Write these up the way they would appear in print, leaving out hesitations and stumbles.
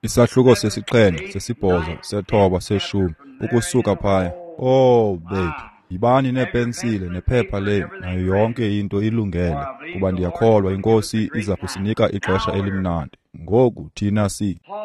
Isahluko 7, 8, 9, 10, ukusuka phaya. Oh, bethu, yibani neepensile nephepha lenu nayo yonke into ilungele, kuba ndiyakholwa iNkosi iza kusinika ixesha elimnandi. Ngoku thina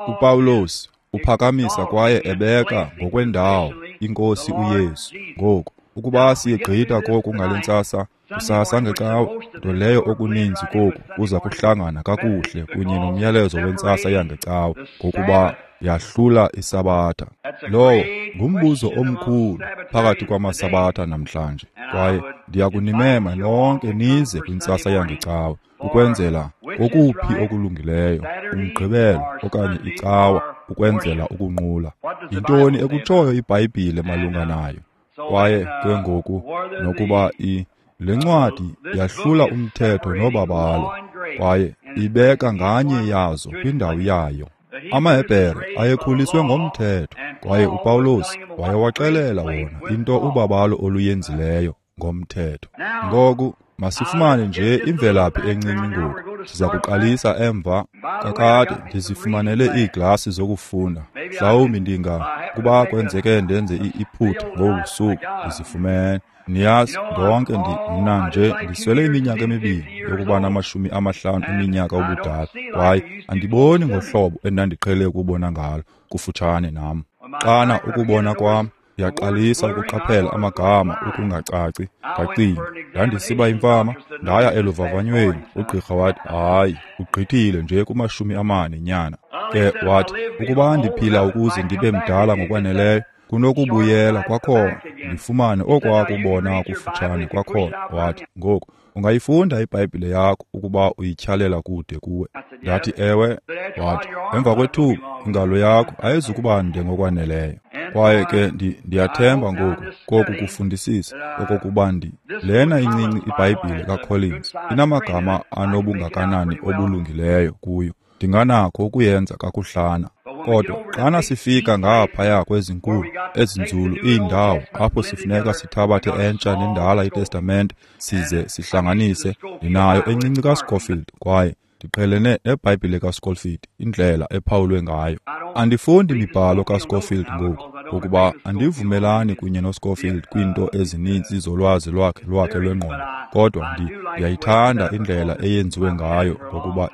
uPawulos uphakamisa kwaye ebeka ngokwendawo iNkosi uYesu. Ngoku ukuba siyegqitha koku ngale ntsasa, kusasa ngecawa, nto leyo okuninzi koku kuza kuhlangana kakuhle kunye nomyalezo wentsasa yangecawa, ngokuba yahlula iSabatha. Lowo ngumbuzo omkhulu phakathi kwamaSabatha namhlanje, kwaye ndiyakunimema nonke nize kwintsasa yangecawa ukwenzela kokuphi okulungileyo, uMgqibelo okanye icawa, ukwenzela ukunqula. Yintoni ekutshoyo iBhayibhile malunga nayo? Kwaye ke ngoku nokuba le ncwadi yahlula umthetho nobabalo, kwaye ibeka nganye yazo kwindawo yayo. AmaHebhere ayekhuliswe ngomthetho, kwaye uPawulos wayewaxelela wona into ubabalo oluyenzileyo ngomthetho. Ngoku masifumane nje imvelaphi encinci ngoku. Siza kuqalisa emva. Kakade ndizifumanele iiglasi zokufunda. Mhlawumbi ndinga kuba kwenzeke ndenze iphutha ngobu busuku ndizifumene. Niyazi, ndonke mna nje ndiswele iminyaka emibini yokuba nama-50 eminyaka ubudala, kwaye andiboni ngohlobo endandiqhele ukubona ngalo kufutshane nam. Xana ukubona kwam ndiyaqalisa ukuqaphela amagama ukungacaci, ndacinga ndandisiba imfama, ndaya eluvavanyweni. Ugqirha wathi, hayi, ugqithile nje kuma-40 nyana. Ke wathi, ukuba ndiphila ukuze ndibe mdala ngokwaneleyo, kunokubuyela kwakhona ndifumane okwakubona kufutshane kwakhona. Wathi, ngoku ungayifunda iBhayibhile yakho ukuba uyityhalela kude kuwe. Ndathi, ewe. Wathi, emva kwethuba ingalo yakho ayizukuba nde ngokwaneleyo. Kwaye ke ndiyathemba ngoku koku kufundisisa okokuba lena incinci iBhayibhile kaCollins inamagama anobungakanani obulungileyo kuyo, ndinganakho ukuyenza kakuhlana. Kodwa xana sifika ngaphaya kwezinkulu ezinzulu iindawo apho sifuneka sithabathe entsha nendala iTestamente size sihlanganise, ndinayo encinci kaScofield, kwaye ndiqhelene neBhayibhile kaScofield, indlela ephawulwe ngayo. Andifundi mibhalo kaScofield ngoku, ngokuba andivumelani kunye noScofield kwiinto ezininzi zolwazi lwakhe lwengqondo, kodwa ndiyayithanda indlela eyenziwe ngayo, ngokuba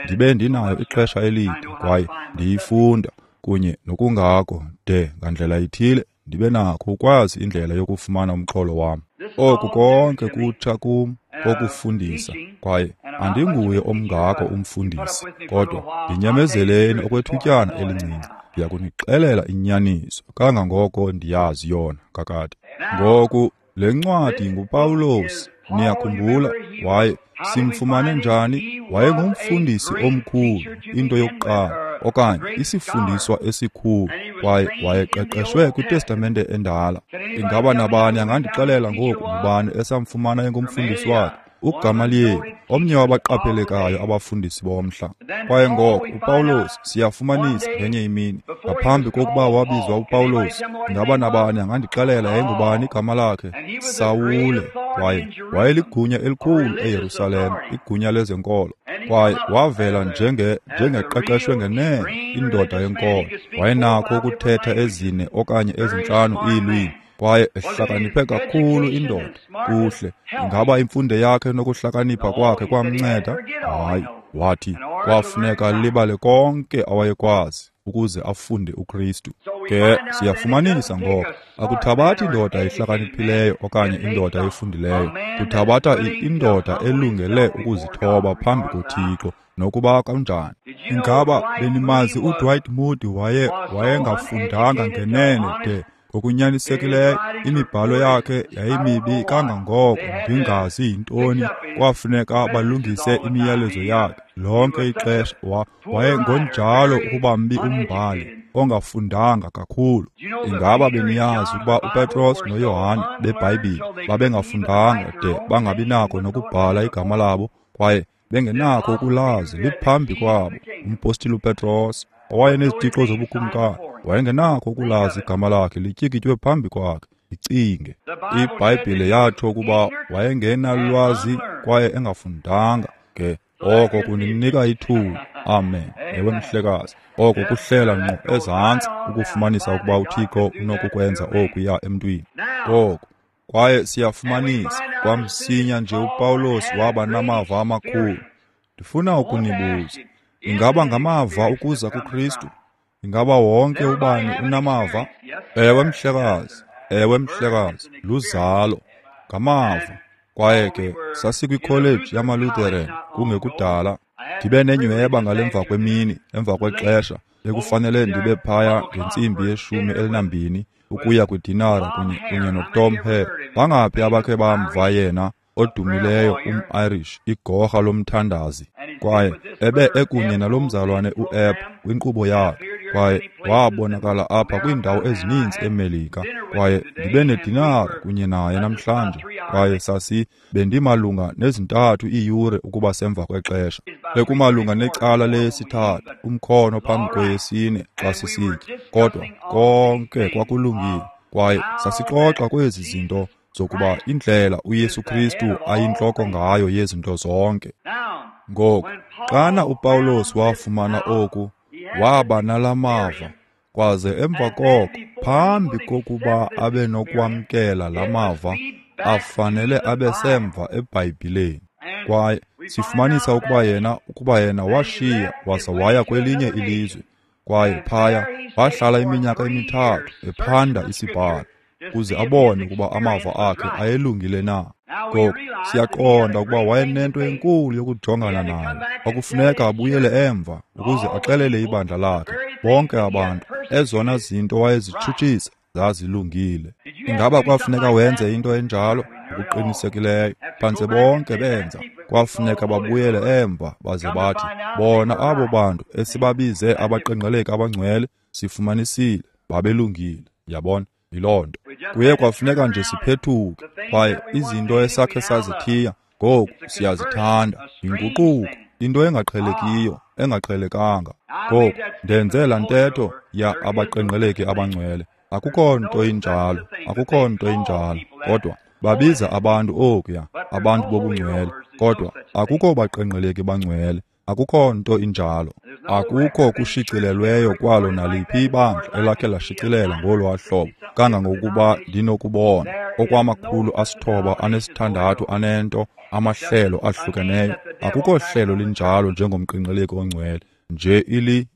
ndibe ndinayo ixesha elide kwaye ndiyifunda kunye nokungako de ngandlela ithile ndibe nakho ukwazi indlela yokufumana umxholo wam. Oku konke kutsha kum kokufundisa, kwaye andinguye omngako umfundisi, kodwa ndinyamezeleni okwethutyana elincinci. Ndiyakunixelela inyaniso kangangoko ndiyazi yona kakade. Ngoku le ncwadi nguPawulos, niyakhumbula, waye simfumane njani? Wayengumfundisi omkhulu, into yokuqala, okanye isifundiswa esikhulu, kwaye wayeqeqeshwe kwiTestamente endala. Ingaba nabani angandixelela ngoku ngubani esamfumana engumfundisi wakhe? uGamaliyeli, omnye wabaqaphelekayo abafundisi bomhla. Kwaye ngoko uPawulos siyafumanisa ngenye imini, ngaphambi kokuba wabizwa uPawulos, ingaba nabani angandixelela yayingubani igama lakhe? Sawule. Kwaye wayeligunya elikhulu eYerusalem, igunya lezenkolo. Kwaye wavela njengeqeqeshwe ngenene indoda yenkolo. Wayenakho ukuthetha 4 okanye 5 iilwimi, kwaye ehlakaniphe kakhulu indoda. Kuhle, ingaba imfundo yakhe nokuhlakanipha kwakhe kwamnceda? Hayi, wathi kwafuneka libale konke awayekwazi ukuze afunde uKristu. Ke siyafumanisa ngoko, akuthabathi indoda ehlakaniphileyo okanye indoda efundileyo, kuthabatha indoda elungele ukuzithoba phambi koThixo nokuba kanjani. Ingaba benimazi uDwight Moody wayengafundanga ngenene de ngokunyanisekileyo imibhalo yakhe yayimibi kangangoko ndingazi yintoni, kwafuneka balungise imiyalezo yakhe lonke ixesha. Wayengonjalo ukuba mbi umbhali ongafundanga kakhulu. Ingaba beniyazi ukuba uPetros noYohane beBhayibhile babengafundanga de bangabinako nokubhala igama labo, kwaye bengenakho ukulazi liphambi kwabo? Umpostile uPetros owayenezitixo zobukumkani wayengenakho ukulazi igama lakhe lityikitywe phambi kwakhe. Icinge, iBhayibhile yatsho ukuba wayengenalwazi kwaye engafundanga. Ke Oko kuninika ithuba. Amen. Ewe mhlekazi. Oko kuhlela ngqo ezantsi ukufumanisa ukuba uThixo unokukwenza okuya emntwini. Ngoko kwaye siyafumanisa kwamsinya nje uPawulos waba namava amakhulu. Ndifuna ukunibuza, ingaba ngamava ukuza kuKristu? Ingaba wonke ubani unamava? Ewe mhlekazi, ewe mhlekazi, luzalo, ngamava. Kwaye ke sasikwikholeji yamaLutheran kungekudala. Ndibe nenyweba ngalemva kwemini, emva kwexesha bekufanele ndibe phaya ngentsimbi ye-12 ukuya kwidinara kunye noTom Hare. Bangaphi abakhe bamva yena odumileyo um-Irish, igorha lomthandazi? Kwaye ebe ekunye nalo mzalwane u-Epp kwinkqubo yakhe, kwaye wabonakala apha kwiindawo ezininzi eMelika. Kwaye ndibe nedinara kunye naye namhlanje, kwaye bendimalunga ne-3 iiyure ukuba semva kwexesha. Bekumalunga necala leyesi-3, umkhono phambi kweyesi-4 xa sisitya, kodwa konke kwakulungile. Kwaye sasixoxa kwezi zinto zokuba indlela uYesu Kristu ayintloko ngayo yezinto zonke. Ngoku, xana uPawulos wafumana oku, waba nalamava, kwaze emva koko, phambi kokuba abe nokwamkela lamava, afanele abe semva eBhayibhileni. Kwaye sifumanisa ukuba yena washiya waza waya kwelinye ilizwe, kwaye phaya wahlala iminyaka emi-3 ephanda isibhalo ukuze abone ukuba amava akhe ayelungile na. Ngoku siyaqonda ukuba wayenento enkulu yokujongana nayo. Kwakufuneka abuyele emva ukuze axelele ibandla lakhe, bonke abantu, ezona zinto wayezitshutshisa zazilungile. Ingaba kwafuneka wenze into enjalo? Ngokuqinisekileyo, phantse bonke benza. Kwafuneka babuyele emva baze bathi, bona abo bantu esibabize abaqengqeleki abangcwele, sifumanisile babelungile. Yabona, yiloo nto. Kuye kwafuneka nje siphethuke, kwaye izinto esakhe sazithiya ngoku siyazithanda. Yinguquko, into engaqhelekiyo, engaqhelekanga. Ngoku ndenze laa ntetho ya abaqengqeleki abangcwele. Akukho nto injalo, akukho nto injalo. Kodwa babiza abantu okuya, abantu bobungcwele, kodwa akukho baqengqeleki bangcwele, akukho nto injalo. Akukho kushicilelweyo kwalo naliphi ibandla elakhe lashicilela ngolwaa hlobo, kangangokuba ndinokubona okwama-906 anento amahlelo ahlukeneyo. Akukho hlelo linjalo njengomqengqeleki ongcwele, nje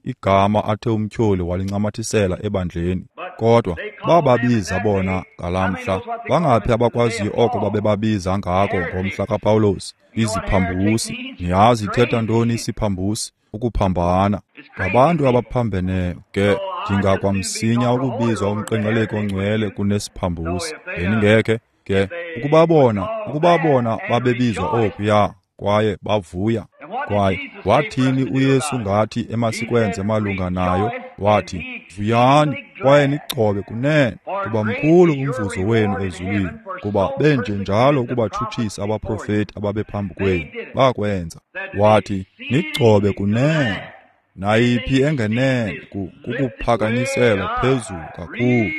igama athe umtyholi walincamathisela ebandleni. Kodwa bababiza bona ngalamhla. Bangaphi abakwaziyo oko babebabiza ngako ngomhla kaPawulos? Iziphambusi. Niyazi ithetha ntoni isiphambusi? Ukuphambana. Ngabantu abaphambeneyo ke. Ndingakwamsinya ukubizwa umqengqeleki ongcwele kunesiphambusi. Beningekhe ke ukuba bona babebizwa okuya, kwaye bavuya. Kwaye wathini uYesu ngathi emasikwenze malunga nayo? Wathi, vuyani kwaye nigcobe kunene, kuba mkhulu umvuzo wenu ezulwini, kuba benjenjalo ukubatshutshisa abaprofeti ababephambi kwenu. Bakwenza. Wathi, nigcobe kunene. Nayiphi engenene kukuphakanyiselwa phezulu kakhulu,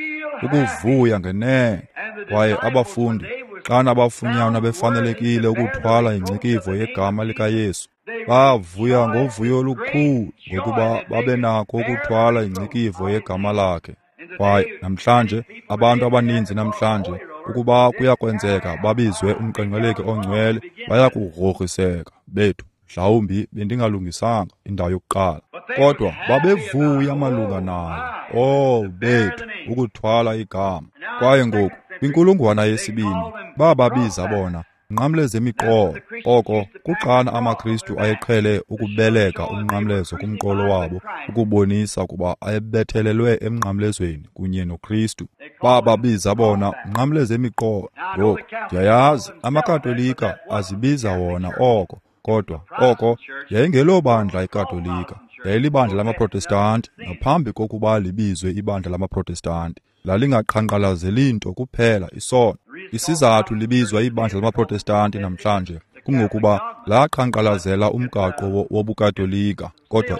ukuvuya ngenene. Kwaye abafundi, xana bafunyanwa befanelekile ukuthwala ingcikivo yegama likaYesu, bavuya ngovuyo olukhulu ngokuba babenakho ukuthwala ingcikivo yegama lakhe. Kwaye namhlanje, abantu abaninzi namhlanje, ukuba kuyakwenzeka babizwe umqengqeleki ongcwele, bayakugrogriseka. Bethu, mhlawumbi bendingalungisanga indawo yokuqala, kodwa babevuya malunga nayo. Oh bethu, ukuthwala igama. Kwaye ngoku kwinkulungwane yesibini bababiza bona nqamleze imiqolo. Oko kuxana amaKristu ayeqhele ukubeleka umnqamlezo kumqolo wabo ukubonisa ukuba ayebethelelwe emnqamlezweni kunye noKristu. Bababiza bona nqamleze imiqolo. Ngoku ndiyayazi amaKatolika azibiza wona oko, kodwa oko yayingelobandla iKatolika, yayilibandla lamaProtestanti ngaphambi kokuba libizwe ibandla lamaProtestanti. Lalingaqhankqalazeli nto kuphela isono. Isizathu libizwa ibandla lamaProtestanti namhlanje Kungokuba laqhankqalazela umgaqo wobuKatolika, kodwa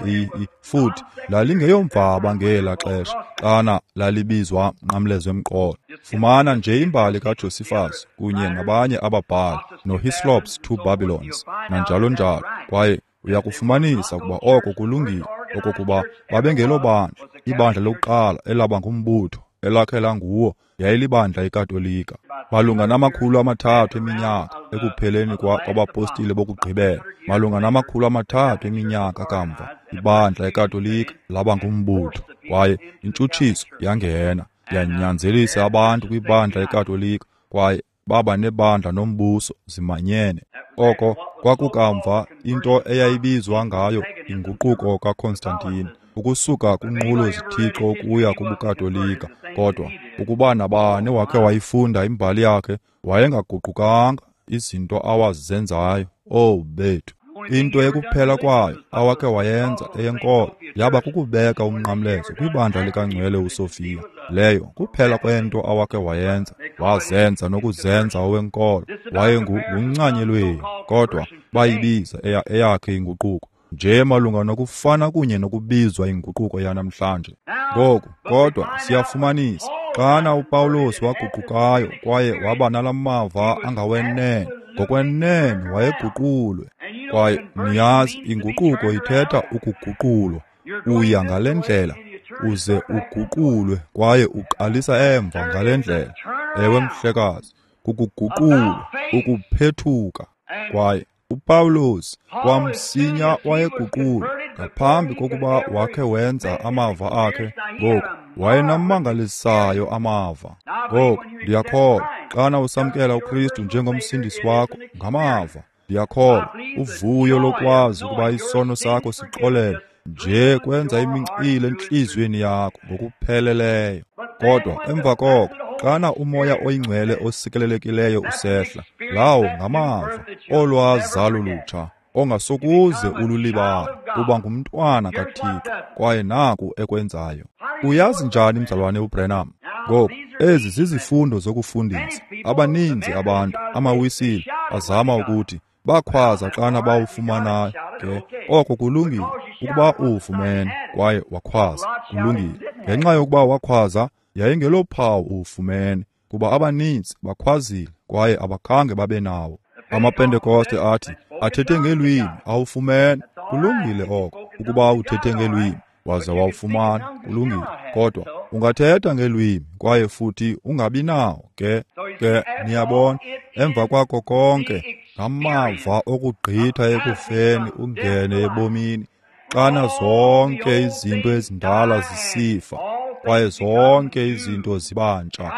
futhi lalingeyomvaba ngela xesha xana lalibizwa mnqamlezo emqolo. Fumana nje imbali kaJosephus kunye nabanye ababhali noHislop's Two Babylons nanjalo njalo, kwaye uyakufumanisa ukuba oko kulungile, okokuba babengelobandla. Ibandla lokuqala elaba ngumbutho elakhe languwo yayilibandla iKatolika. Malunga nama-300 eminyaka ekupheleni kwabapostile bokugqibela, malunga nama-300 eminyaka kamva, ibandla iKatolika laba ngumbutho, kwaye intshutshiso yangena yanyanzelisa abantu kwibandla iKatolika, kwaye baba nebandla nombuso zimanyene. Oko kwakukamva into eyayibizwa ngayo inguquko kaConstantine, ukusuka kunqulo zithixo ukuya kubuKatolika. Kodwa ukuba nabani wakhe wayifunda imbali yakhe, wayengaguqukanga izinto awazenzayo. Oh bethu, into ekuphela kwayo awakhe wayenza eyenkolo yaba kukubeka umnqamlezo kwibandla likaNgcwele uSophia. Leyo kuphela kwento awakhe wayenza. Wazenza nokuzenza owenkolo, wayenguncanyelweni, kodwa bayibiza eyakhe inguquko nje malunga nokufana kunye nokubizwa inguquko yanamhlanje. Ngoku kodwa siyafumanisa xana uPawulos waguqukayo kwaye waba nalamava angawenene, ngokwenene wayeguqulwe. Kwaye niyazi, inguquko ithetha ukuguqulwa. Uya ngale ndlela uze uguqulwe, kwaye uqalisa emva ngale ndlela. Ewe mhlekazi, kukuguqulwa, ukuphethuka. Kwaye uPawulos kwamsinya wayeguqulwa ngaphambi kokuba wakhe wenza amava akhe. Ngoku wayenamangalisayo amava. Ngoku ndiyakholwa xana usamkela uKristu njengomsindisi wakho ngamava, ndiyakholwa uvuyo lokwazi ukuba isono sakho sixolelwe nje kwenza imincili entliziyweni yakho ngokupheleleyo. Kodwa emva koko xana uMoya oyiNgcwele osikelelekileyo usehla, lawo ngamava olwazalo lutsha ongasokuze ululibale, uba ngumntwana kaThixo. Kwaye naku ekwenzayo. Uyazi njani mzalwane uBrenham? Ngoku ezi zizifundo zokufundisa. Abaninzi abantu, amaWisile, azama ukuthi bakhwaza xana bawufumanayo. Ke oko kulungile ukuba uwufumene kwaye wakhwaza, kulungile. Ngenxa yokuba wakhwaza, yayingelophawu uwufumene, kuba abaninzi bakhwazile kwaye abakhange babe nawo. AmaPentekoste athi athethe ngelwimi, awufumene. Kulungile oko ukuba uthethe ngelwimi waze wawufumana, kulungile. Kodwa ungathetha ngelwimi kwaye futhi ungabi nawo. Ke niyabona, emva kwako konke ngamava okugqitha ekufeni ungene ebomini, xana zonke izinto ezindala zisifa kwaye zonke izinto zibantsha,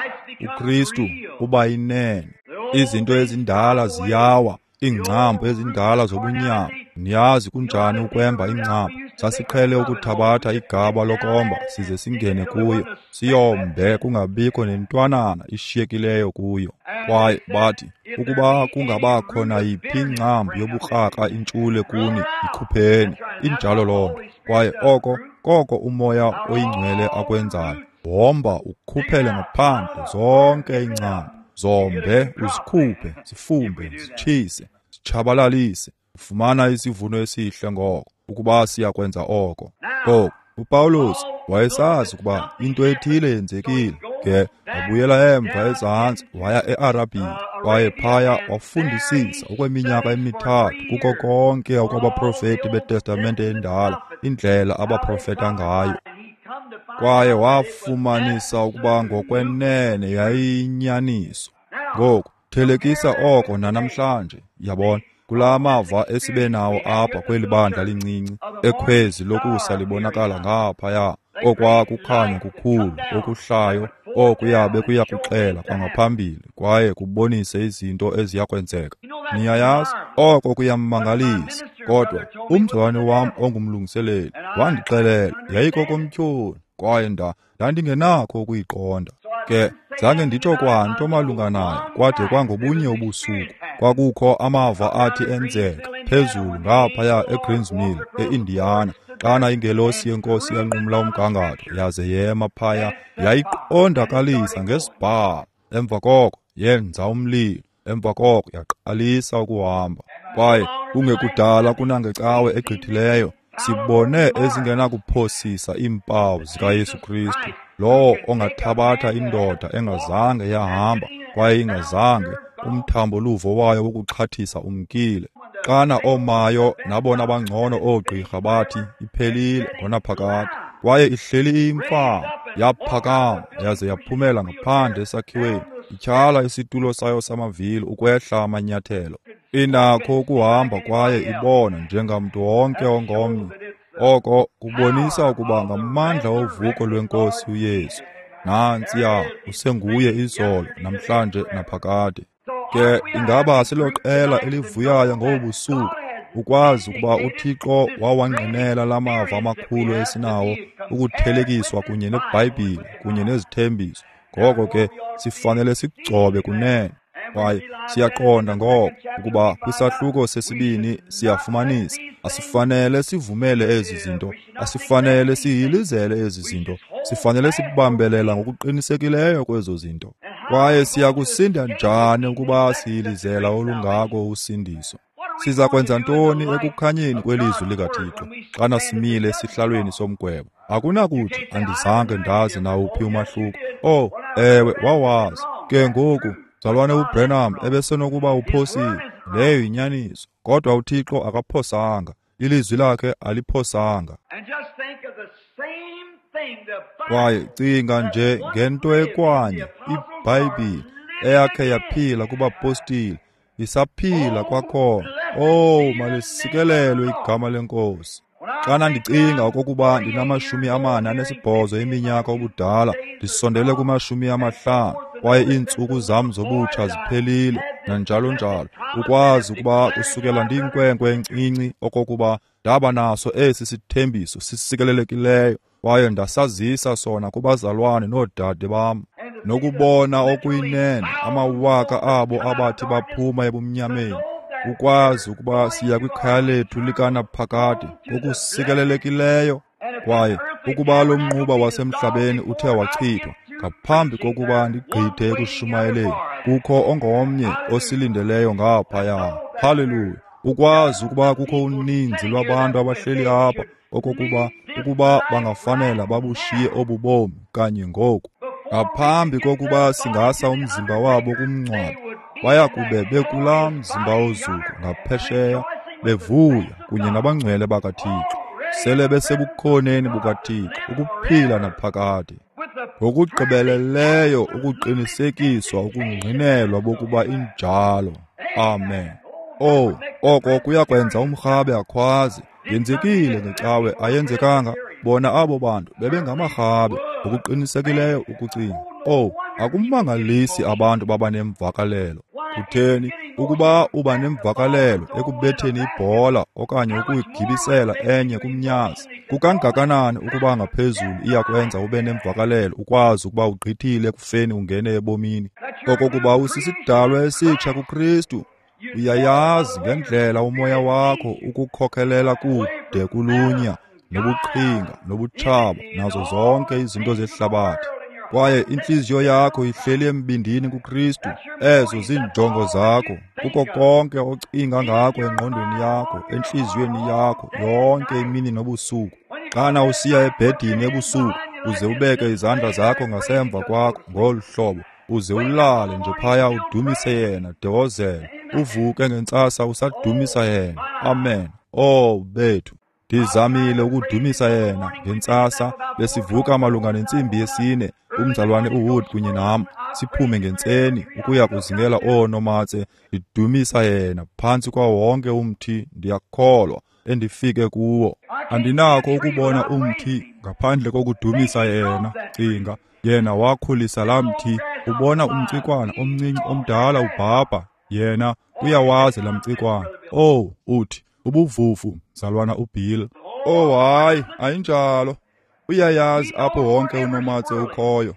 uKristu uba yinene. Izinto ezindala ziyawa, iingcambu ezindala zobunyama. Niyazi kunjani ukwemba ingcambu? Sasiqhele ukuthabatha igaba lokomba size singene kuyo, siyombe kungabikho nentwanana ishiyekileyo kuyo. Kwaye bathi ukuba kungabakho nayiphi ingcambu yobukrakra intshule kuni, ikhupheni. Injalo loo nto. Kwaye oko koko uMoya oyiNgcwele akwenzayo. Womba ukhuphele ngaphandle zonke iingcambu, zombe uzikhuphe, zifumbe, zitshise, zitshabalalise. Ufumana isivuno esihle ngoko ukuba siyakwenza oko. Ngoku uPawulos wayesazi ukuba into ethile yenzekile. Ke wabuyela emva ezantsi waya eArabia, kwaye phaya wafundisisa okweminyaka emithathu kuko konke okwabaprofeti beTestamente endala, indlela abaprofeta ngayo. Kwaye wafumanisa ukuba ngokwenene yayiyinyaniso. Ngoku thelekisa oko nanamhlanje, yabona, kulaa mava esibe nawo apha kweli bandla lincinci ekhwezi lokusa libonakala ngaphaya, okwa kukhanya kukhulu okuhlayo okuyabe kuya kuxela kwangaphambili kwaye kubonise izinto eziyakwenzeka. Niyayazi, oko kuyamangalisa. Kodwa umzalwane wam ongumlungiseleli wandixelela yayikokomtyholi, kwaye ndandingenakho ukuyiqonda. Ke zange nditsho kwanto malunga nayo kwade kwangobunye ubusuku. Kwakukho amava athi enzeka phezulu ngaphaya eGreens Mill eIndiana, xana ingelosi yenkosi yanqumla umgangatho yaze yema phaya, yayiqondakalisa ngesibhalo. Emva koko yenza umlilo. Emva koko yaqalisa ukuhamba. Kwaye kungekudala kunangecawe egqithileyo, sibone ezingenakuphosisa iimpawu zikaYesu Kristu, lowo ongathabatha indoda engazange yahamba kwaye ingazange, umthambo-luvo wayo wokuxhathisa umkile. Xana oomayo nabona bangcono oogqirha bathi iphelile ngonaphakade, kwaye ihleli iyimfama, yaphakama yaze yaphumela ngaphandle esakhiweni, ityhala isitulo sayo samavili ukwehla amanyathelo. Inakho ukuhamba kwaye ibona njengamntu wonke ongomnye. Oko kubonisa ukuba ngamandla ovuko lweNkosi uYesu. Nantsiya, usenguye izolo, namhlanje naphakade. Ke ingaba siloqela elivuyayo ngobu busuku ukwazi ukuba uThixo wawangqinela la mava amakhulu esinawo ukuthelekiswa kunye neBhayibhile kunye nezithembiso. Ngoko ke sifanele sigcobe kunene. Kwaye siyaqonda ngoko ukuba kwisahluko sesibini siyafumanisa asifanele sivumele ezi zinto, asifanele sihilizele ezi zinto, sifanele sibambelela ngokuqinisekileyo kwezo zinto. Kwaye siyakusinda njani ukuba sihilizela olungako usindiso? Siza kwenza ntoni ekukhanyeni kwelizwi likaThixo xana simile esihlalweni somgwebo? Akunakuthi andizange ndazi nawuphi umahluko. Oh, ewe, wawazi. Ke ngoku, mzalwane uBranham ebesenokuba uphosile. Leyo yinyaniso. Kodwa uThixo akaphosanga. Ilizwi lakhe aliphosanga. Kwaye cinga nje ngento ekwanye iBhayibhile eyakhe yaphila kubapostile, isaphila kwakhona. Oh, malisikelelwe igama leNkosi. Xana ndicinga okokuba ndinama-48 eminyaka ubudala, ndisondele kuma-50, kwaye iintsuku zam zobutsha ziphelile, nanjalo njalo, ukwazi ukuba kusukela ndiyinkwenkwe encinci okokuba ndaba naso esi sithembiso sisikelelekileyo, kwaye ndasazisa sona kubazalwane noodade bam, nokubona okuyinene amawaka abo abathi baphuma ebumnyameni, ukwazi ukuba siya kwikhaya lethu likanaphakade ngokusikelelekileyo. Kwaye ukuba lo mnquba wasemhlabeni uthe wachithwa ngaphambi kokuba ndigqithe ekushumayeleni, kukho ongomnye osilindeleyo ngaphaya. Haleluya! Ukwazi ukuba kukho uninzi lwabantu abahleli apha okokuba ukuba bangafanela babushiye obu bomi kanye ngoku, ngaphambi kokuba singasa umzimba wabo kumngcwabo, baya kube bekulaa mzimba ozuko ngaphesheya, bevuya kunye nabangcwele bakaThixo, sele besebukhoneni bukaThixo ukuphila naphakade. Ngokugqibeleleyo ukuqinisekiswa ukungqinelwa bokuba injalo. Amen. Oh, oko kuyakwenza umrhabe akhwaze. Yenzekile ngecawe, ayenzekanga. Bona abo bantu bebengamarhabe ngokuqinisekileyo ukucinga. Oh, akumangalisi abantu baba nemvakalelo. Kutheni ukuba uba nemvakalelo ekubetheni ibhola okanye ukuyigibisela enye kumnyazi? Kukangakanani ukuba ngaphezulu iyakwenza ube nemvakalelo ukwazi ukuba ugqithile ekufeni ungene ebomini, okokuba usisidalwa esitsha kuKristu. Uyayazi ngendlela umoya wakho ukukhokelela kude kulunya nobuqhinga nobutshaba nazo zonke izinto zehlabathi. Kwaye intliziyo yakho ihleli embindini kuKristu. Ezo ziinjongo zakho, kuko konke ocinga ngako engqondweni yakho, entliziyweni yakho, yonke imini nobusuku. Xana usiya ebhedini ebusuku, uze ubeke izandla zakho ngasemva kwakho ngolu hlobo, uze ulale nje phaya udumise yena de wozele, uvuke ngentsasa usadumisa yena. Amen. Oh bethu, ndizamile ukudumisa yena ngentsasa. Besivuka malunga nentsimbi 4, umzalwane uWood kunye nam, siphume ngentseni ukuya kuzingela oonomatse. Ndidumisa yena phantsi kwawo wonke umthi, ndiyakholwa endifike kuwo. Andinakho ukubona umthi ngaphandle kokudumisa yena. Cinga, yena wakhulisa laa mthi. Ubona umcikwana omncinci omdala ubhabha, yena uyawazi laa mcikwana. Oh, uthi ubuvuvu, mzalwana uBill. Oh hayi, ayinjalo. Uyayazi apho wonke unomatse ukhoyo.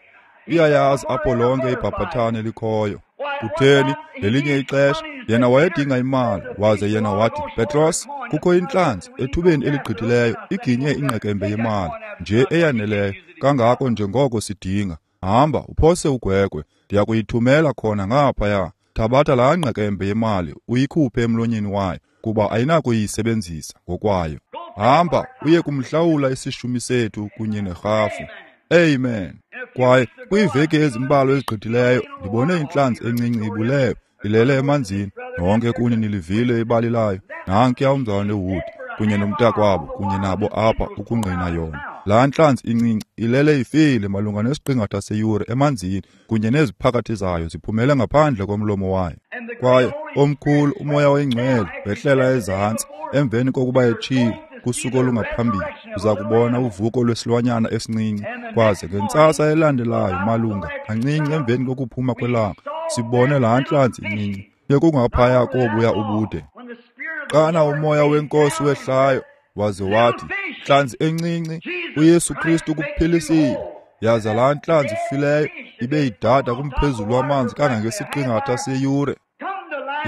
Uyayazi apho lonke ibhabhathane likhoyo. Kutheni, ngelinye ixesha yena wayedinga imali, waze yena wathi, Petros, kukho intlanzi ethubeni eligqithileyo iginye ingqekembe yemali nje eyaneleyo kangako njengoko sidinga. Hamba uphose ugwegwe, ndiyakuyithumela khona ngaphaya. Thabatha laa ngqekembe yemali uyikhuphe emlonyeni wayo, kuba ayinakuyisebenzisa ngokwayo. Hamba uye kumhlawula isishumi sethu kunye nerhafu. Amen. Kwaye kwiiveki ezimbalwa ezigqithileyo ndibone intlanzi encinci ibulewe ilele emanzini. Nonke kuni nilivile ibali layo. Nankuya umzalwane Wood kunye nomntakwabo kunye nabo apha ukungqina yona. Laa ntlanzi incinci ilele ifile malunga nesiqingatha seyure emanzini kunye neziphakathi zayo ziphumele ngaphandle komlomo wayo. Kwaye omkhulu uMoya oyiNgcwele wehlela ezantsi emveni kokuba etshilo kusuku olungaphambili, uza kubona uvuko lwesilwanyana esincinci. Kwaze ngentsasa elandelayo malunga kancinci emveni kokuphuma kwelanga, sibone laa ntlanzi incinci bekungaphaya kobuya ubude. Xana uMoya weNkosi wehlayo waze wathi, ntlanzi encinci, uYesu Kristu ukuphilisile. Yaza laa ntlanzi ifileyo ibe idada kumphezulu wamanzi kangangesiqingatha seyure.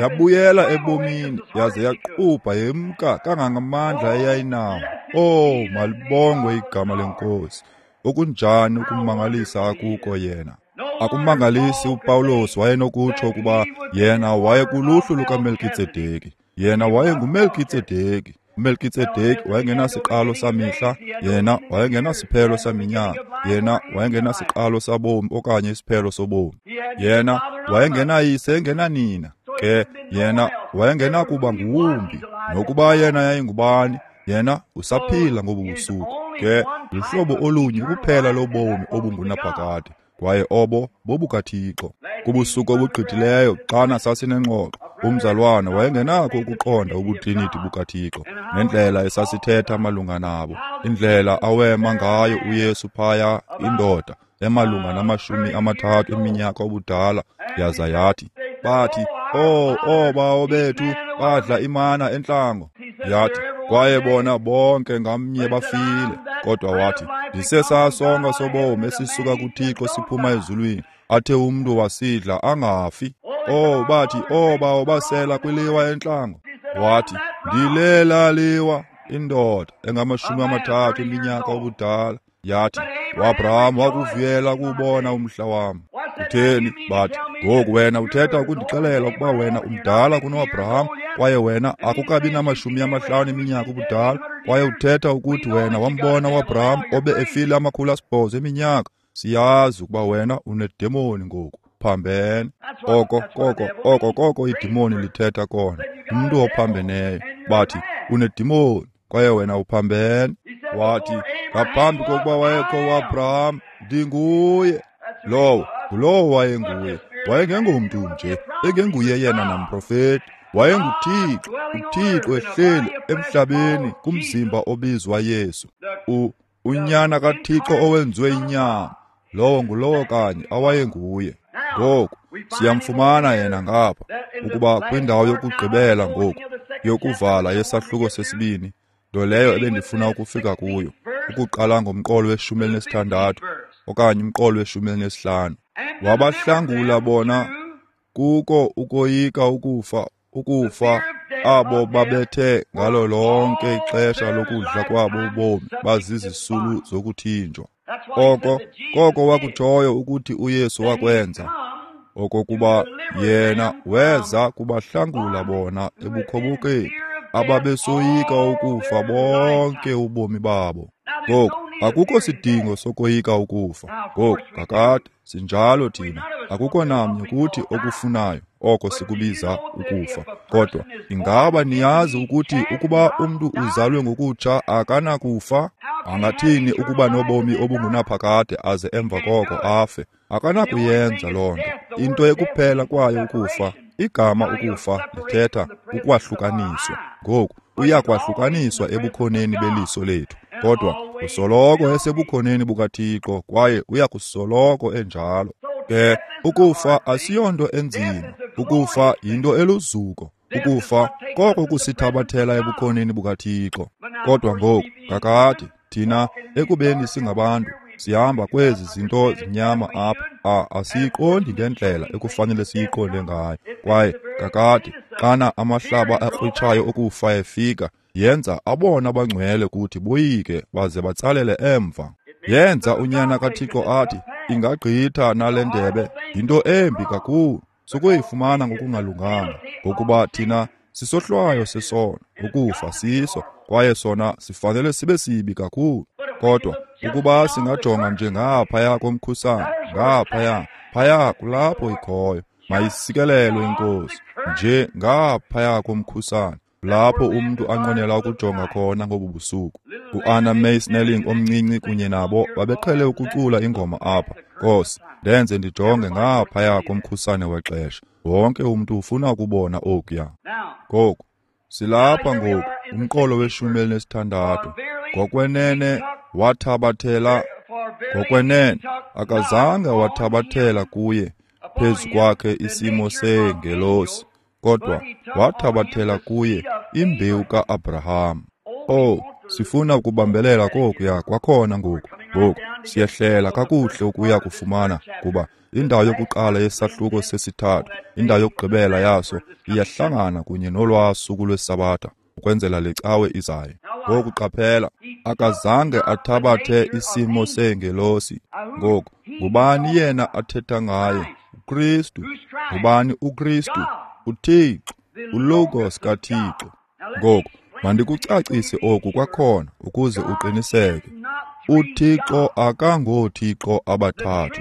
Yabuyela ebomini yaze yaqubha yemka kangangamandla eyayinawo. Oh, malibongwe igama leNkosi. Okunjani ukumangalisa akuko yena. Akumangalisi uPawulos wayenokutsho ukuba yena wayekuluhlu lukaMelkitsedeki. Yena wayenguMelkitsedeki. uMelkitsedeki wayengenasiqalo samihla, yena wayengenasiphelo saminyaka, yena wayengenasiqalo sabomi okanye isiphelo sobomi. Yena wayengenayise engenanina, ke yena wayengenakuba nguwumbi. Nokuba yena yayingubani, yena usaphila ngobu busuku. Ke luhlobo olunye kuphela lobomi obungunaphakade, kwaye obo bobukaThixo. Kubusuku obugqithileyo xana sasinengxoxo, umzalwana wayengenakho ukuqonda ubutriniti bukaThixo nendlela esasithetha malunga nabo, indlela awema ngayo uYesu phaya, indoda emalunga nama-30 eminyaka obudala, yaza yathi, bathi, oh, oobawo bethu badla imana entlango. Yathi, kwaye bona bonke ngamnye bafile. Kodwa wathi, ndisesasonka sobomi esisuka kuThixo siphuma ezulwini, athe umntu wasidla angafi. Oh, bathi, oobawo basela kwiliwa entlango. Wathi, ndilela liwa, indoda engama-30 eminyaka obudala. Yathi, uAbraham wakuvuyela ukubona umhla wam. Kutheni? Bathi, ngoku wena uthetha ukundixelela ukuba wena umdala kunoAbraham, kwaye wena akukabi nama-50 eminyaka ubudala, kwaye uthetha ukuthi wena wambona uAbraham obe efile 800 eminyaka. Siyazi ukuba wena unedemoni ngoku. Phambene. Oko koko oko koko idemoni lithetha kona. Umntu ophambeneyo. Bathi, unedemoni kwaye wena uphambene. Wathi, ngaphambi kokuba wayekho uAbraham, ndinguye. Lowo ngulowo wayenguye. Wayengengomntu nje, engenguye yena namprofeti. WayenguThixo, uThixo ehleli emhlabeni kumzimba obizwa Yesu. Unyana kaThixo owenziwe inyama. Lowo ngulowo kanye awayenguye. Ngoku siyamfumana yena ngapha ukuba kwindawo yokugqibela ngoku yokuvala yesahluko sesibini, nto leyo ebendifuna ukufika kuyo, ukuqala ngomqolo we-16 okanye umqolo we-15. Wabahlangula bona kuko ukoyika ukufa abo babethe ngalo lonke ixesha lokudla kwabo ubomi bazizisulu zokuthinjwa. Oko koko wakutshoyo ukuthi uYesu wakwenza, okokuba yena weza kubahlangula bona ebukhobokeni ababesoyika ukufa bonke ubomi babo. Ngoku akukho sidingo sokoyika ukufa. Ngoku kakade sinjalo thina, akukho namnye kuthi okufunayo oko sikubiza ukufa. Kodwa ingaba niyazi ukuthi ukuba umntu uzalwe ngokutsha akanakufa? Angathini ukuba nobomi obungunaphakade aze emva koko afe? Akanakuyenza loo nto. Into ekuphela kwayo ukufa, igama ukufa lithetha ukwahlukaniswa. Ngoku uyakwahlukaniswa ebukhoneni beliso lethu, kodwa usoloko esebukhoneni bukaThixo kwaye uyakusoloko enjalo. Ke ukufa asiyonto enzima. Ukufa yinto eluzuko. Ukufa koko kusithabathela ebukhoneni bukaThixo. Kodwa ngoku kakade thina ekubeni singabantu sihamba kwezi zinto zinyama apha, asiyiqondi ngendlela ekufanele siyiqonde ngayo. Kwaye kakade xana amahlaba akrwitshayo okufa efika, yenza abona abangcwele kuthi boyike baze batsalele emva. Yenza unyana kaThixo athi, ingagqitha nale ndebe, yinto embi kakhulu. Sukuyifumana ngokungalunganga, ngokuba thina sisohlwayo sesono, ukufa siso, kwaye sona sifanele sibe sibi kakhulu. Kodwa ukuba singajonga nje ngaphaya komkhusane, ngaphaya, phaya kulapho ikhoyo, mayisikelelwe iNkosi, nje ngaphaya komkhusane, lapho umntu anqwenela ukujonga khona ngobu busuku. U-Anna Mae Snelling omncinci kunye nabo babeqhele ukucula ingoma apha, Nkosi, ndenze ndijonge ngaphaya komkhusane wexesha. Wonke umntu ufuna ukubona okuya. Ngoku silapha ngoku, umqolo we-16. Ngokwenene wathabathela, ngokwenene akazange wathabathela kuye phezu kwakhe isimo seengelosi, kodwa wathabathela kuye imbewu ka-Abraham. Oh, sifuna ukubambelela kokuya kwakhona ngoku. Ngoku siyehlela kakuhle ukuya kufumana, kuba indawo yokuqala yesahluko sesithathu, indawo yokugqibela yaso iyahlangana kunye nolwaa suku lweSabatha ukwenzela le cawe izayo. Ngoku qaphela, akazange athabathe isimo seengelosi. Ngoku ngubani yena athetha ngaye? uKristu. Ngubani uKristu? uThixo, uLogos kaThixo. Ngoku mandikucacise oku kwakhona ukuze uqiniseke. UThixo akangooThixo abathathu.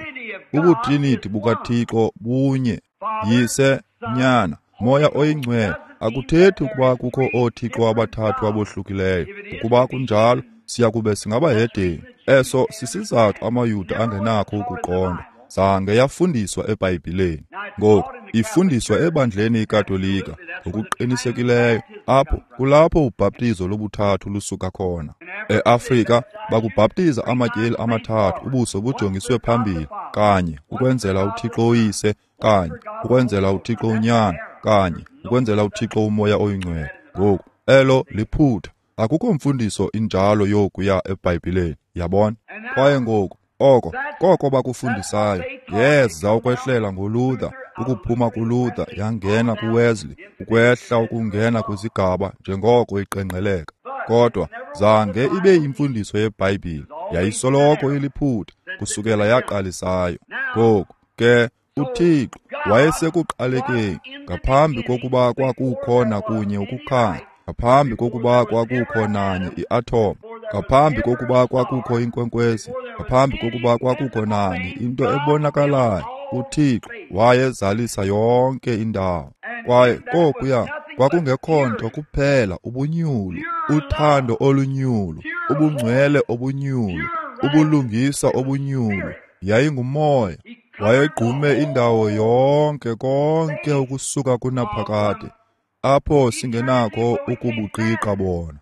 Ubutriniti bukaThixo bunye, Yise, Nyana, Moya oyiNgcwele. Akuthethi ukuba kukho ooThixo abathathu abohlukileyo. Ukuba kunjalo, siya kube singabahedeni. Eso sisizathu amaYuda angenakho ukuqonda. Zange yafundiswa eBhayibhileni. Ngoku ifundiswa ebandleni iKatolika ngokuqinisekileyo. Apho kulapho ubhaptizo lobuthathu lusuka khona. EAfrika bakubhaptiza amatyeli amathathu ubuso bujongiswe phambili, kanye ukwenzela uThixo uYise, kanye ukwenzela uThixo uNyana, kanye ukwenzela uThixo uMoya oyiNgcwele. Ngoku elo liphutha. Akukho mfundiso injalo yokuya eBhayibhileni, yabona. Kwaye ngoku oko koko bakufundisayo yeza ukwehlela ngoLuther, ukuphuma kuLuther yangena kuWesley, ukwehla ukungena kwizigaba njengoko iqengqeleka. Kodwa zange ibe yimfundiso yeBhayibhile, yayisoloko iliphutha kusukela yaqalisayo. Ngoku ke uThixo wayesekuqalekeni ngaphambi kokuba kwakukho nakunye ukukhanya, ngaphambi kokuba kwakukho nanye iathom, ngaphambi kokuba kwakukho inkwenkwezi, ngaphambi kokuba kwakukho nanye into ebonakalayo, uThixo wayezalisa yonke indawo. Kwaye kokuya kwakungekho nto kuphela ubunyulu, uthando olunyulu, ubungcwele obunyulu, ubulungisa obunyulu. Yayingumoya. Wayegqume indawo yonke, konke ukusuka kunaphakade, apho singenakho ukubuqiqa bona.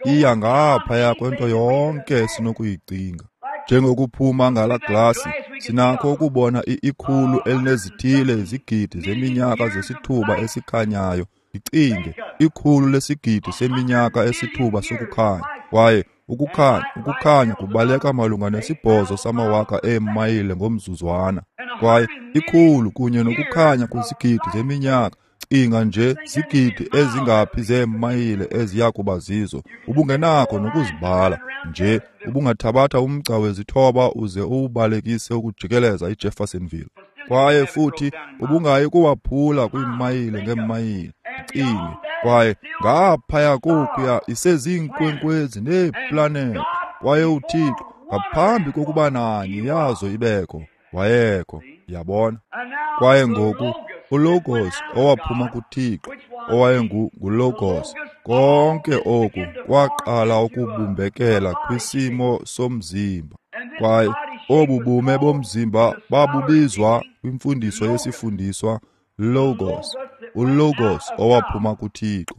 Iya ngaphaya kwento yonke esinokuyicinga. Njengokuphuma ngala glasi, sinakho ukubona ikhulu elinezithile izigidi zeminyaka zesithuba esikhanyayo. Icinge, ikhulu lesigidi seminyaka esithuba sokukhanya. Kwaye ukukhanya kubaleka malunga ne8 samawaka eemayile ngomzuzwana. Kwaye ikhulu kunye nokukhanya kwizigidi zeminyaka, cinga nje zigidi ezingaphi zeemayile eziya kuba zizo. Ubungenakho nokuzibala nje, ubungathabatha umgca wezithoba uze uwubalekise ukujikeleza iJeffersonville. Kwaye futhi ubungayi kuwaphula kwiimayile ngeemayile. Cinge, kwaye ngaphaya kokuya iseziinkwenkwezi neeplanethi. Kwaye uThixo ngaphambi kokuba nanye yazo ibekho, wayekho, yabona. Kwaye ngoku uLogos owaphuma kuThixo, owayenguLogos, konke oku kwaqala ukubumbekela kwisimo somzimba. Kwaye obu bume bomzimba babubizwa kwimfundiso yesifundiswa Logos, uLogos owaphuma kuThixo.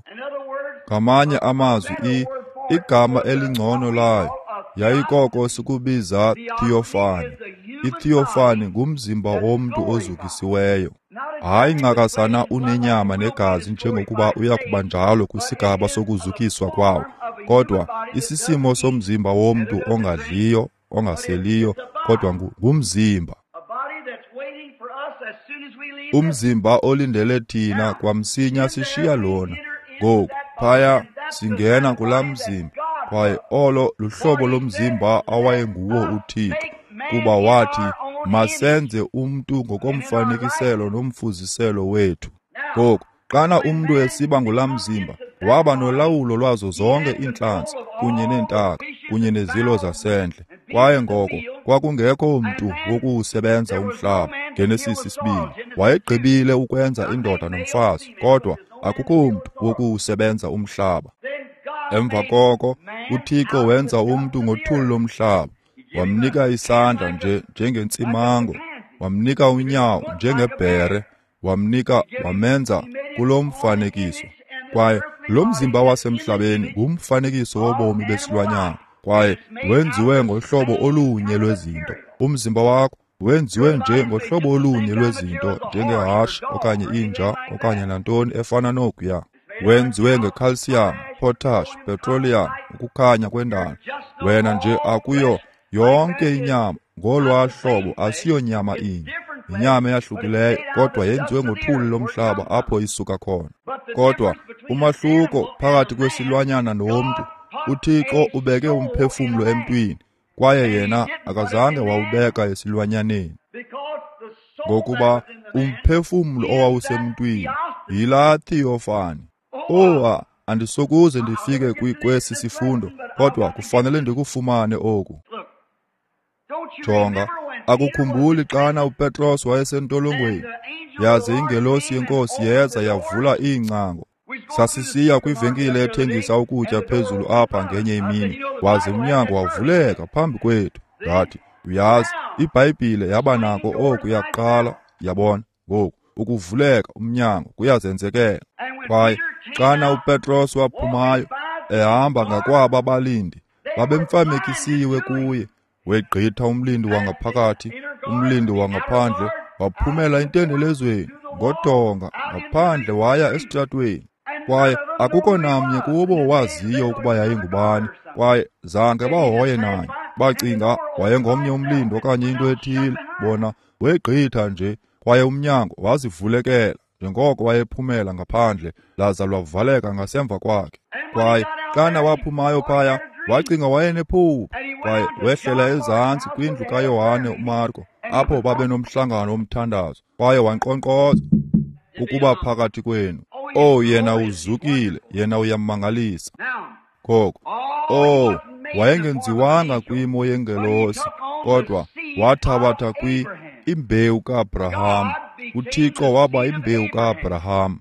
Ngamanye amazwi, igama elingcono layo yayikoko sikubiza theophany. Itheophany ngumzimba womntu ozukisiweyo. Hayi ncakasana unenyama negazi njengokuba uya kuba njalo kwisigaba sokuzukiswa kwawo, kodwa isisimo somzimba womntu ongadliyo, ongaseliyo, kodwa ngumzimba. Umzimba olindele thina kwamsinya sishiya lona. Ngoku phaya singena kulaa mzimba, kwaye olo luhlobo lomzimba awayenguwo uThixo, kuba wathi, Masenze umntu ngokomfanekiselo nomfuziselo wethu. Ngoku, xana umntu esiba ngulaa mzimba, waba nolawulo lwazo zonke iintlantsi kunye neentaka kunye nezilo zasendle. Kwaye ngoko kwakungekho mntu wokuwusebenza umhlaba. Genesis 2. Wayegqibile ukwenza indoda nomfazi, kodwa akukho mntu wokuwusebenza umhlaba. Emva koko uThixo wenza umntu ngothuli lomhlaba, wamnika isandla nje njengentsimango, wamnika unyawo njengebhere, wamnika wamenza kulo mfanekiso. Kwaye lo mzimba wasemhlabeni ngumfanekiso wobomi besilwanyana, kwaye wenziwe ngohlobo olunye lwezinto. Umzimba wakho wenziwe nje ngohlobo olunye lwezinto, njengehashe okanye inja okanye nantoni efana nokuya. Wenziwe ngecalcium, potash, petroleum, ukukhanya kwendalo. Wena nje akuyo yonke inyama ngolwaa hlobo, asiyonyama inye. Inyama eyahlukileyo, kodwa yenziwe ngothuli lomhlaba apho isuka khona. Kodwa umahluko phakathi kwesilwanyana nomntu, uThixo ubeke umphefumlo emntwini, kwaye yena akazange wawubeka esilwanyaneni. Ngokuba umphefumlo owawusemntwini yilaa theophany. Oh, andisokuze ndifike kwesi sifundo, kodwa kufanele ndikufumane oku. Jonga, akukhumbuli xana uPetros wayesentolongweni, yaze ingelosi yeNkosi yeza yavula iingcango. Sasisiya kwivenkile ethengisa ukutya phezulu apha ngenye imini, waze umnyango wavuleka phambi kwethu. Ndathi, uyazi, iBhayibhile yaba nako oku yaqala, yabona, ngoku ukuvuleka umnyango kuyazenzekela. Kwaye xana uPetros waphumayo ehamba ngakwaba balindi, babemfamekisiwe kuye. Wegqitha umlindi wangaphakathi, umlindi wangaphandle, waphumela entendelezweni ngodonga ngaphandle waya esitratweni. Kwaye akukho namnye kubo waziyo ukuba yayingubani, kwaye zange bahoye naye. Bacinga wayengomnye umlindi okanye into ethile. Bona wegqitha nje, kwaye umnyango wazivulekela njengoko wayephumela ngaphandle, laza lwavaleka ngasemva kwakhe. Kwaye xana waphumayo phaya, wacinga wayenephupha, kwaye wehlela ezantsi kwindlu kaYohane uMarko, apho babenomhlangano womthandazo, kwaye wankqonkqoza ukuba phakathi kwenu. Oh, yena uzukile, yena uyamangalisa. Ngoko, oh, wayengenziwanga kwimo yengelosi, kodwa wathabatha imbewu kaAbraham. uThixo waba imbewu kaAbraham.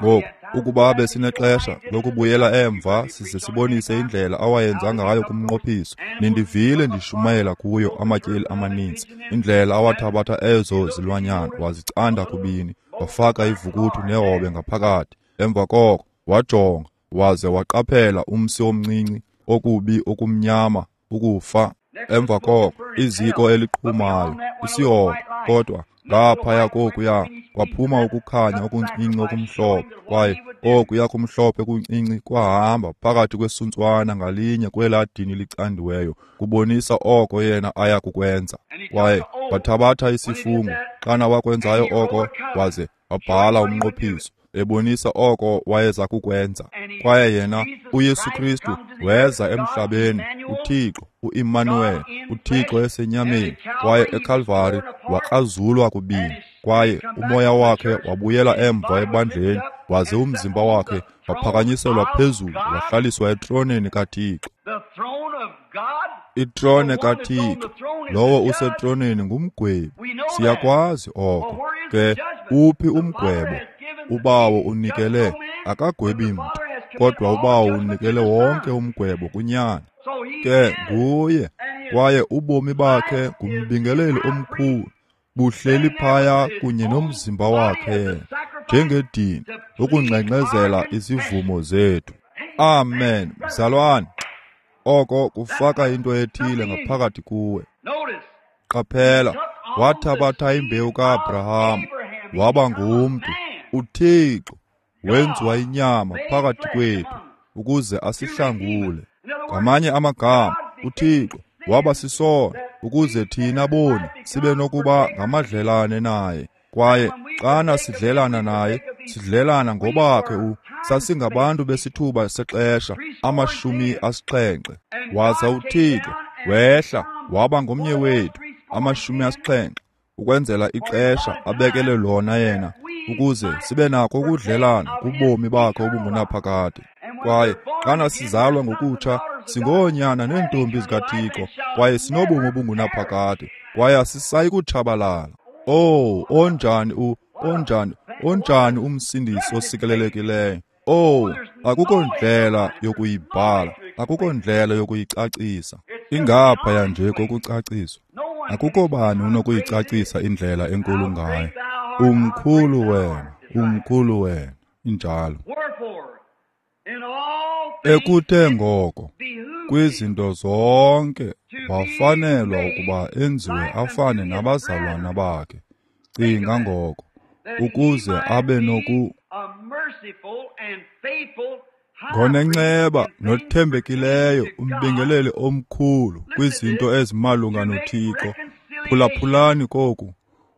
Ngoku, ukuba besinexesha lokubuyela emva size sibonise indlela awayenza ngayo kumnqophiso, nindivile ndishumayela kuyo amatyeli amaninzi, indlela awathabatha ezo zilwanyana wazicanda kubini, wafaka ivukuthu nehobe ngaphakathi. Emva koko wajonga waze waqaphela umsi omncinci okubi okumnyama, ukufa. Emva koko iziko eliqhumayo, isihogo. Kodwa ngaphaya kokuya kwaphuma ukukhanya okuncinci okumhlophe, kwaye okuya kumhlophe kuncinci kwahamba phakathi kwesuntswana ngalinye kwelaa dini licandiweyo, kubonisa oko yena aya kukwenza. Kwaye wathabatha isifungo xana wakwenzayo oko, waze wabhala umnqophiso ebonisa oko wayeza kukwenza. Kwaye yena uYesu Kristu weza emhlabeni, uThixo uImmanuel, uThixo esenyameni, kwaye eKalvari wakrazulwa kubini, kwaye umoya wakhe wabuyela emva ebandleni, waze umzimba wakhe waphakanyiselwa phezulu wahlaliswa etroneni kaThixo. Itrone kaThixo, lowo usetroneni ngumgwebi. Siyakwazi oko. Ke uphi umgwebo? Ubawo unikele, akagwebi mntu, kodwa ubawo unikele wonke umgwebo kuNyana. Ke nguye, kwaye ubomi bakhe ngumbingeleli omkhulu, buhleli phaya kunye nomzimba wakhe njengedini ukungxengxezela izivumo zethu. Amen, mzalwane. Oko kufaka into ethile ngaphakathi kuwe. Qaphela, wathabatha imbewu kaAbraham, waba ngumntu. uThixo wenziwa inyama phakathi kwethu ukuze asihlangule. Ngamanye amagama, uThixo waba sisono ukuze thina boni sibe nokuba ngamadlelane naye. Kwaye xana sidlelana naye, sidlelana ngobakhe sasingabantu besithuba sexesha 70. Waza uThixo wehla waba ngomnye wethu, 70 ukwenzela ixesha abekele lona yena, ukuze sibe nako ukudlelana kubomi bakhe obungunaphakade. Kwaye xana sizalwa ngokutsha, singoonyana neentombi zikaThixo, kwaye sinobomi obungunaphakade, kwaye asisayi kutshabalala. Oh, onjani onjani umsindisi osikelelekileyo! Oh, akukho ndlela yokuyibhala, akukho ndlela yokuyicacisa. Ingaphaya nje kokucaciswa. Akukho bani unokuyicacisa indlela enkulu ngayo. Umkhulu wena, umkhulu wena, injalo. Ekuthe ngoko, kwizinto zonke wafanelwa ukuba enziwe afane nabazalwana bakhe. Cinga ngoko, ukuze abe noku ngonenceba nothembekileyo umbingeleli omkhulu kwizinto ezimalunga noThixo. Phulaphulani koku,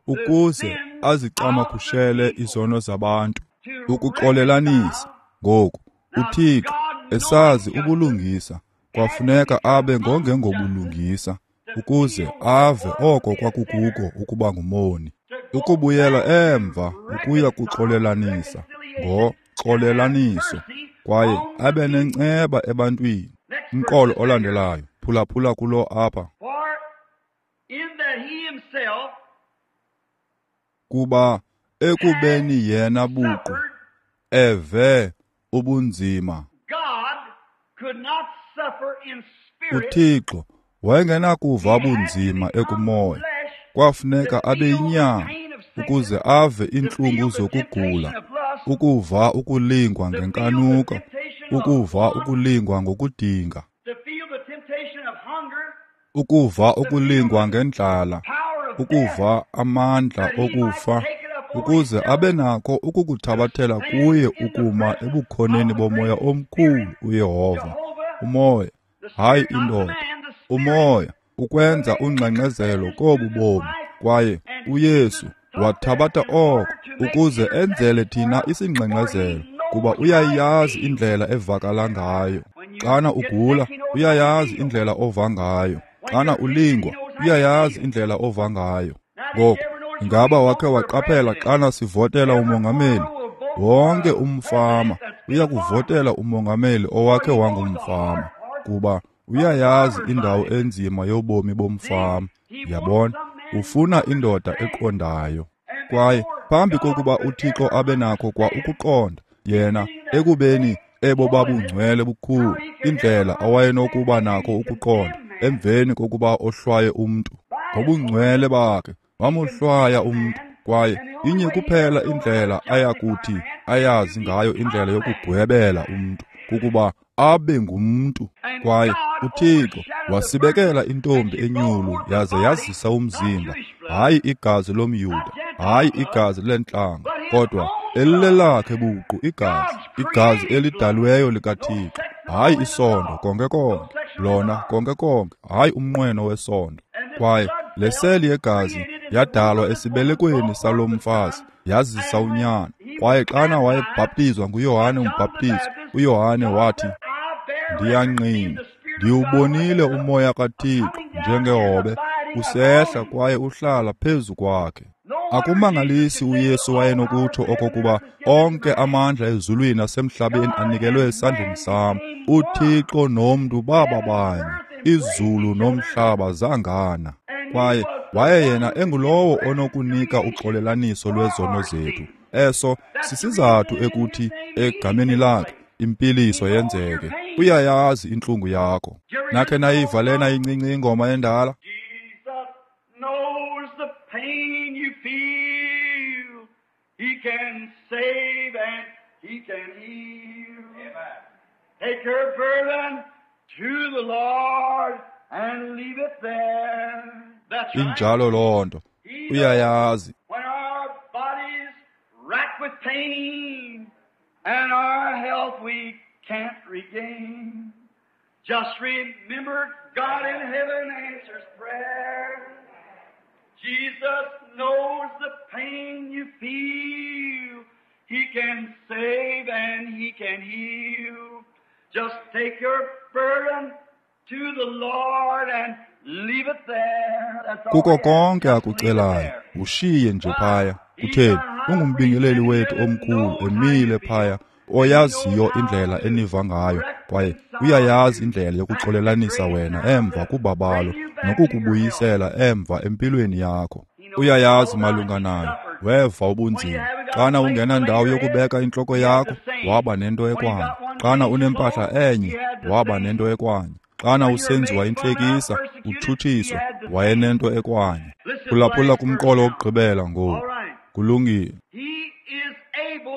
ukuze azicamagushele izono zabantu, ukuxolelanisa. Ngoku uThixo esazi ubulungisa, kwafuneka abe ngongengobulungisa ukuze ave oko kwakukuko ukuba ngumoni, ukubuyela emva ukuya kuxolelanisa ngoxolelaniso, kwaye abe nenceba ebantwini. Umqolo olandelayo, phulaphula kulo apha. Kuba ekubeni yena buqu eve ubunzima, uThixo wayengenakuva bunzima ekumoya, kwafuneka abe yinyama ukuze ave iintlungu zokugula, ukuva ukulingwa ngenkanuko, ukuva ukulingwa ngokudinga, ukuva ukulingwa ngendlala, ukuva amandla okufa, ukuze abe nako ukukuthabathela kuye ukuma ebukhoneni bomoya omkhulu uYehova. Umoya, hayi indoda, umoya ukwenza ungxengxezelo kobu bomi. Kwaye uYesu wathabatha oko ukuze enzele thina isingxengxezelo, kuba uyayazi indlela evakala ngayo. Xana ugula, uyayazi indlela ova ngayo. Xana ulingwa, uyayazi indlela ova ngayo. Ngoku, ingaba wakhe waqaphela xana sivotela umongameli? Wonke umfama uyakuvotela umongameli owakhe wangumfama, kuba uyayazi indawo enzima yobomi bomfama. Yabona, ufuna indoda eqondayo. Kwaye phambi kokuba uThixo abe nako kwa ukuqonda, yena ekubeni ebo babungcwele bukhulu, indlela awayenokuba nako ukuqonda emveni kokuba ohlwaye umntu ngobungcwele bakhe, wamohlwaya umntu. Kwaye inye kuphela indlela ayakuthi ayazi ngayo indlela yokugwebela umntu, kukuba abe ngumntu. Kwaye uThixo wasibekela intombi enyulu yaze yazisa umzimba, hayi igazi lomYuda, hayi igazi lentlanga, kodwa elilelakhe buqu igazi, igazi elidalweyo likaThixo, hayi isondo konke konke, lona konke konke, hayi umnqweno wesondo. Kwaye le seli yegazi yadalwa esibelekweni salo mfazi, yazisa unyana. Kwaye xana wayebhaptizwa nguYohane umbhaptizi, uYohane wathi, ndiyangqina, ndiwubonile umoya kaThixo njengehobe usehla kwaye uhlala phezu kwakhe. Akumangalisi uYesu wayenokutsho okokuba onke amandla ezulwini nasemhlabeni anikelwe esandleni sam. uThixo nomntu baba banye, izulu nomhlaba zangana. Kwaye waye yena engulowo onokunika uxolelaniso lwezono zethu. Eso sisizathu ekuthi egameni lakhe impiliso yenzeke. Uyayazi intlungu yakho. Nakhe nayiva lena incinci ingoma endala? Knows the pain you feel. He can save and he can heal. Amen. Take your burden to the Lord and leave it there. That's right. Injalo loo nto. Uyayazi. When our bodies rack with pain and our health we can't regain, just remember God in heaven answers prayer. Jesus knows the pain you feel. He can save and he can heal. Just take your burden to the Lord and leave it there. That's all. Kuko konke akucelayo, Ushiye nje phaya. Kutheni? Ungumbingeleli wethu omkhulu emile phaya, oyaziyo indlela eniva ngayo, kwaye uyayazi indlela yokuxolelanisa wena emva kubabalo nokukubuyisela emva empilweni yakho. Uyayazi malunga nayo. Weva ubunzima. Xana ungenandawo yokubeka intloko yakho, waba nento ekwanye. Xana unempahla enye, waba nento ekwanye. Xana usenziwa intlekisa, utshutshiswa, wayenento ekwanye. Phulaphula kumqolo wokugqibela ngoku. Kulungile.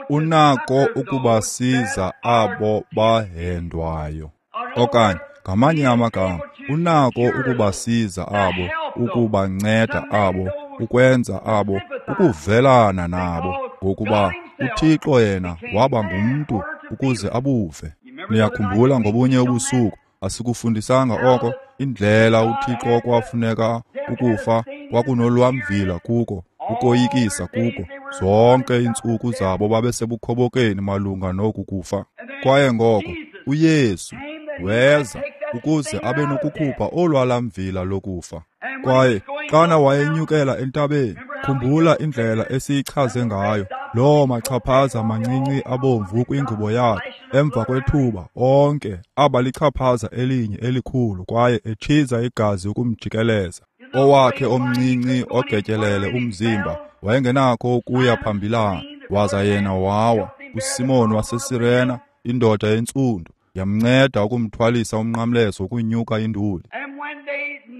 Unako ukubasiza abo bahendwayo. Okanye, ngamanye amagama, unako ukubasiza abo, ukubanceda abo, ukwenza abo, ukuvelana nabo, ngokuba uThixo yena waba ngumntu ukuze abuve. Niyakhumbula ngobunye ubusuku, asikufundisanga oko, indlela uThixo okwafuneka ukufa kwakunolwamvila kuko, ukoyikisa kuko. Zonke iintsuku zabo babesebukhobokeni malunga noku kufa. Kwaye ngoko uYesu weza ukuze abe nokukhupha olwalamvila lokufa. Kwaye xana wayenyukela entabeni, khumbula indlela esiyichaze ngayo, loo machaphaza mancinci abomvu kwingubo yakhe. Emva kwethuba onke aba lichaphaza elinye elikhulu kwaye etshiza igazi ukumjikeleza. Owakhe omncinci ogetyelele umzimba wayengenakho ukuya phambilana, waza yena wawa. uSimon waseSirena, indoda entsundu, yamnceda ukumthwalisa umnqamlezo ukunyuka induli.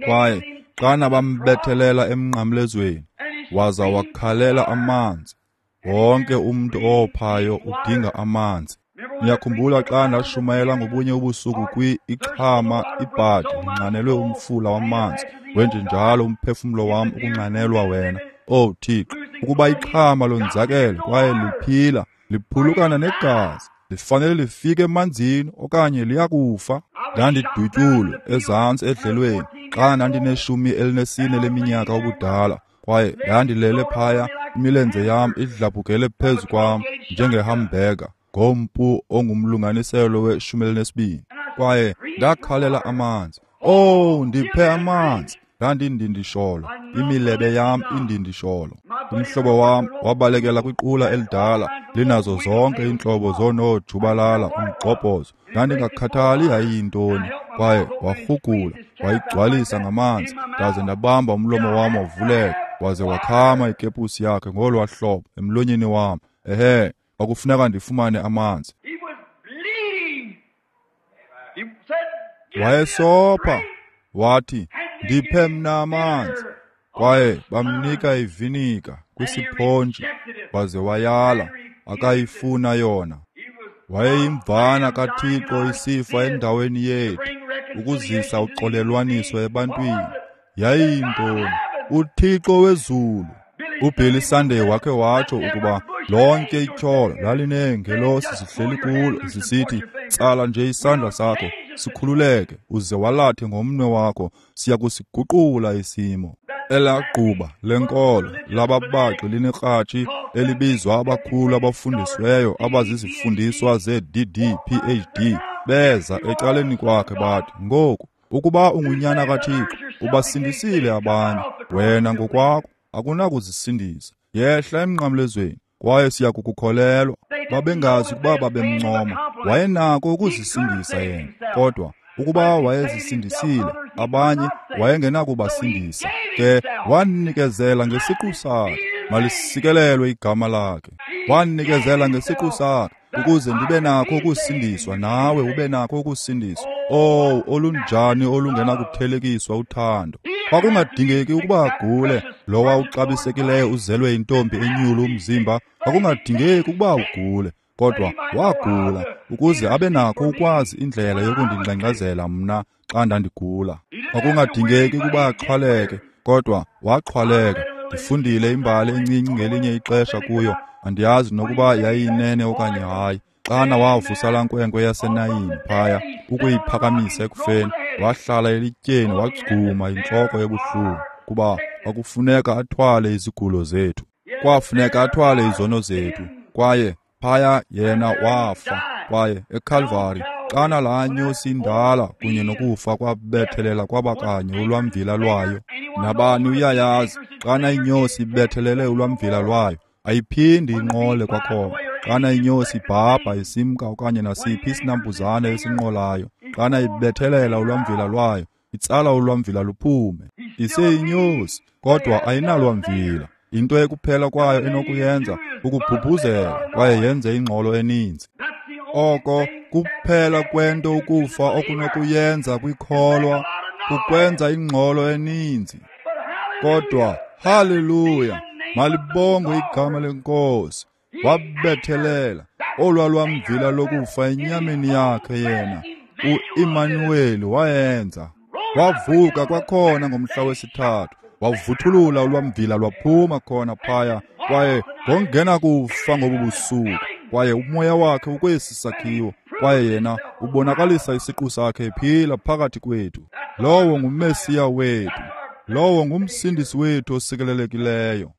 Kwaye xana bambethelela emnqamlezweni, waza wakhalela amanzi. Wonke umntu owophayo udinga amanzi. Niyakhumbula xa ndashumayela ngobunye ubusuku ixhama ibhadi linxanelwe umfula wamanzi, wenjenjalo umphefumlo wam ukunxanelwa wena, O Thixo, ukuba ixhama lonzakele kwaye liphila, liphulukana negazi, lifanele lifike emanzini okanye liyakufa. Ndandidutyulwe ezantsi edlelweni xa ndandine-14 leminyaka ubudala, kwaye ndandilele phaya, imilenze yam idlabhukele phezu kwam njengehambhega ngompu ongumlunganiselo we-12. Kwaye ndakhalela amanzi. Oh, ndiphe amanzi. Ndandindindisholo, imilebe yam indindisholo. Umhlobo wam wabalekela kwiqula elidala linazo zonke iintlobo zoonojubalala umgxobhozo. Ndandingakhathali yayiyintoni, kwaye warhugula wayigcwalisa ngamanzi, ndaze ndabamba umlomo wam wavuleka, waze wakhama ikepusi yakhe ngolwa hlobo emlonyeni wam. Ehe, kwakufuneka ndifumane amanzi. Wayesopha, wathi, ndiphe mna amanzi. Kwaye bamnika ivinika kwisiphontshi, waze wayala, akayifuna yona. Wayeyimvana kaThixo isifa endaweni yethu, ukuzisa uxolelwaniso ebantwini. Yayiyintoni? uThixo wezulu. uBilly Sunday wakhe watsho ukuba lonke ityholo lalineengelosi zihleli kulo zisithi, tsala nje isandla sakho sikhululeke uze walathe ngomnwe wakho, siya kusiguqula isimo. Elagquba lenkolo lababaxi linekratshi elibizwa abakhulu abafundisiweyo abazizifundiswa ze-DD PhD beza ecaleni kwakhe bathi, ngoku ukuba ungunyana kaThixo ubasindisile abanye, wena ngokwakho akunakuzisindisa. Yehla emnqamlezweni kwaye siya kukukholelwa. Babengazi ukuba babemncoma. Wayenako ukuzisindisa yena, kodwa ukuba wayezisindisile abanye wayengenakubasindisa. Ke wanikezela ngesiqu sakhe, malisikelelwe igama lakhe. Wanikezela ngesiqu sakhe ukuze ndibe nakho ukusindiswa, nawe ube nakho ukusindiswa. Oh, olunjani olungenakuthelekiswa uthando! Kwakungadingeki ukuba agule lowa uxabisekileyo uzelwe intombi enyulu umzimba. Kwakungadingeki ukuba ugule, kodwa wagula ukuze abe nakho ukwazi indlela yokundingxengxezela mna xa ndandigula. Kwakungadingeki ukuba axhwaleke, kodwa waxhwaleka. Ndifundile imbali encinci ngelinye ixesha kuyo, andiyazi nokuba yayiyinene okanye hayi. Xana wavusa laa nkwenkwe yaseNayini phaya ukuyiphakamisa ekufeni, wahlala elityeni wagcuma intloko ebuhlungu, kuba kwakufuneka athwale izigulo zethu, kwafuneka athwale izono zethu. Kwaye phaya yena wafa. Kwaye eKalvari, xana laa nyosi indala kunye nokufa kwabethelela kwabakanye ulwamvila lwayo. Nabani uyayazi, Xana inyosi ibethelele ulwamvila lwayo, ayiphindi inqole kwakhona. Xana inyosi ibhabha isimka okanye nasiphi isinambuzane esinqolayo, xana ibethelela ulwamvila lwayo, itsala ulwamvila luphume. Iseyinyosi, kodwa ayinalwamvila. Into ekuphela kwayo enokuyenza kukubhubhuzela kwaye yenze ingxolo eninzi. Oko kuphela kwento ukufa okunokuyenza kwikholwa, kukwenza ingxolo eninzi. Kodwa haleluya, malibongwe igama leNkosi. Wabethelela olwa lwamvila lokufa enyameni yakhe yena. U-Immanueli wayenza. Wavuka kwakhona ngomhla wesithathu, wavuthulula ulwamvila lwaphuma khona phaya, kwaye ngongena kufa ngobu busuku. Kwaye umoya wakhe ukwesi sakhiwo, kwaye yena ubonakalisa isiqu sakhe ephila phakathi kwethu. Lowo nguMesiya wethu, lowo ngumsindisi wethu osikelelekileyo.